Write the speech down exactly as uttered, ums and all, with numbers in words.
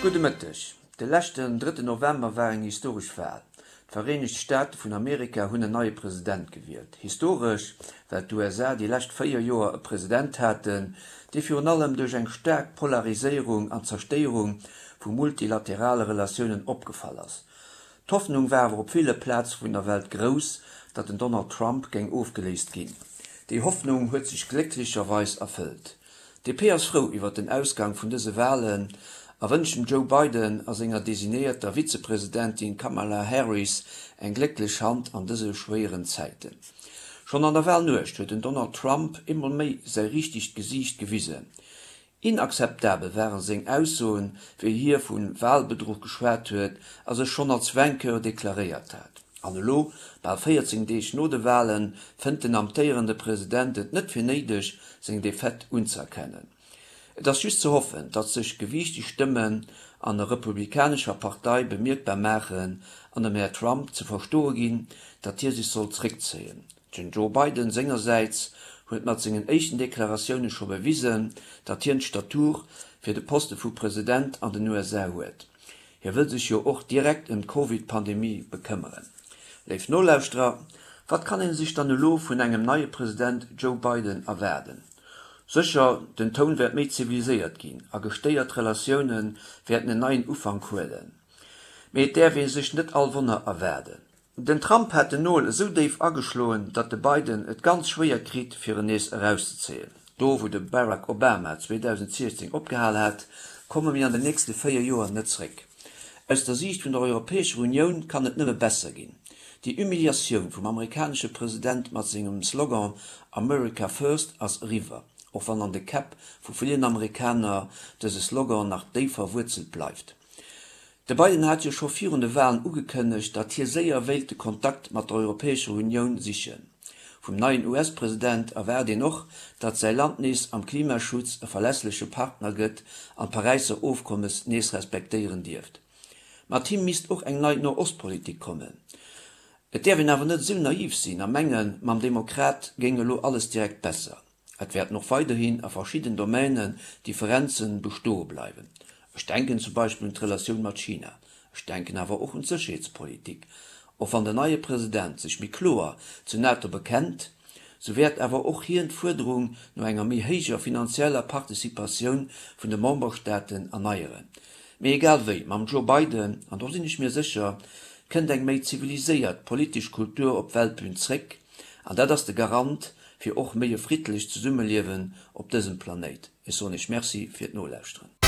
Gudde Mëtteg. De leschten drëtten November war eng historesch Wal. D'Vereenegt Staate vun Amerika hunn en neie President gewielt. Historesch, well d'USA déi lescht véier Joer e President haten, dee virun allem duerch eng staark Polariséierung an Zerstéierung vu multilaterale Relatiounen opgefall ass. D'Hoffnung war awer op ville Plaze vun der Welt grouss, datt den Donald Trump géing ofgeléist ginn. Déi Hoffnung huet sech glécklecherweis erfëllt. D P ass frou iwwer den Ausgang vun dëse Walen a wënscht dem Joe Biden a senger designéierter Vizepresidentin Kamala Harris eng glécklech Hand an dëse schwéieren Zäiten. Schonn an der Walnuecht huet den Donald Trump eemol méi säi richtegt Gesiicht gewisen. Inakzeptabel ware seng Aussoen, wéi hie vu Walbedruch geschwat huet a sech schonn als Vainqueur deklaréiert hat. An elo, bal véierzéng Deeg no de Walen, fënnt den amtéierende President et net fir néideg, seng Defaite unzëerkennen. Et ass just ze hoffen, datt sech gewiichteg Stëmmen an der Republikanescher Partei bemierkbar maachen an dem Här Trump ze verstoe ginn, datt hie sech soll zréckzéien. Den Joe Biden sengersäits huet mat sengen éischten Deklaratioune scho bewisen, datt hien d'Statur fir de Poste vu President an den U S A huet. Hie wëll sech jo och direkt ëm d'Covid-Pandemie bekëmmeren. Léif Nolauschterer, wat kann ee sech dann elo vun engem neie President Joe Biden erwaarden? Sécher, den Toun wäert méi ziviliséiert ginn a gestéiert Relatioune wäerten en neien Ufank huelen. Mee et däerf ee sech net all Wonner erwaarden. Den Trump hat den Nol esou déif ageschloen, datt de Biden et ganz schwéier kritt, fir en nees erauszezéien. Do wou de Barack Obama zweedausendsiechzéng opgehal hat, komme mir an den nächste véier Joer net zréck. Aus der Siicht vun der Europäescher Unioun kann et nëmme besser ginn. Déi Humiliatioun vum amerikanesche President mat sengem Slogan America First ass eriwwer, och wann an de Käpp vu villen Amerikaner dëse Slogan nach déif verwuerzelt bleift. De Biden hat jo scho virun de Walen ugekënnegt, datt hie séier wéilt de Kontakt mat der Europäescher Unioun sichen. Vum neien U S-President erwaart een och, datt säi Land nees am Klimaschutz e verlässleche Partner gëtt an d'Paräisser Ofkommes nees respektéieren dierft. Mat him misst och eng nei No-Ost-Politik kommen. Et däerf een awer net esou naiv sinn a mengen, mam Demokrat géing elo alles direkt besser. Et wäerten och weiderhin a verschidden Domainen Differenze bestoe bleiwen. Ech denken zum Beispill un d'Relatioun mat China. Ech denken awer och un d'Sécherheetspolitik. Och wann den neie President sech méi kloer zur NATO bekennt, sou wäert awer och hien d'Fuerderung no enger méi héijer finanzieller Participatioun vun de Memberstaaten erneieren. Mee egal wéi, mam Joe Biden, an do sinn ech mir sécher, kënnt eng méi ziviliséiert politesch Kultur op d'Weltbün zréck, an dat ass de Garant fir och méi e friddlecht Zesummeliewen op dësem Planéit. Ech soen Iech Merci fir d'Nolauschteren.